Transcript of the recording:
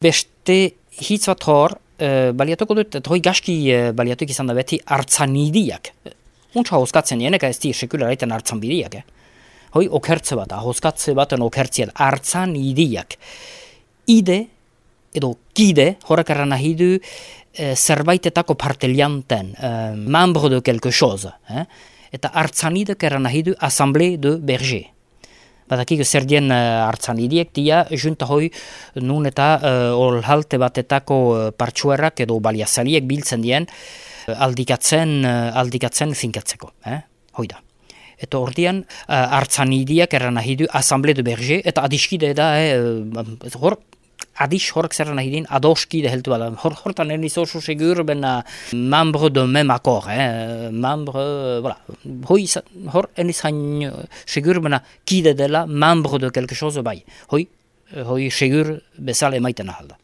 Beste hitz bat hor, baliatuko dut, eta hoi gaski baliatuko izan da beti hartzanidiak. Untsa hozkatzen nienek ez di sekularaiten hartzanbidiak. Hoi okertze bat, hozkatze baten okertziat, hartzanidiak. Ide, edo kide, horrek erran nahi du, zerbaitetako partelianten, membre de quelque chose. Eta hartzanidek erran nahi du assemblée de berger. Badakik zer dien hartzanidiek dia, junta hoi nun eta olhalte batetako partxuerrak edo baliazaliek biltzen dien aldikatzen finkatzeko. Hoi da. Eta ordian hartzanidiak erran nahi du assemblée de berger, eta adiskide da, adis horrek zer nahi din, adoskide heltu bada. Hortan eniz oso segur bena membre de même accord. Membre, voilà. Hor eniz hain segur bena kide dela membre de quelque chose bai. Hoi segur bezala emaiten ahalda.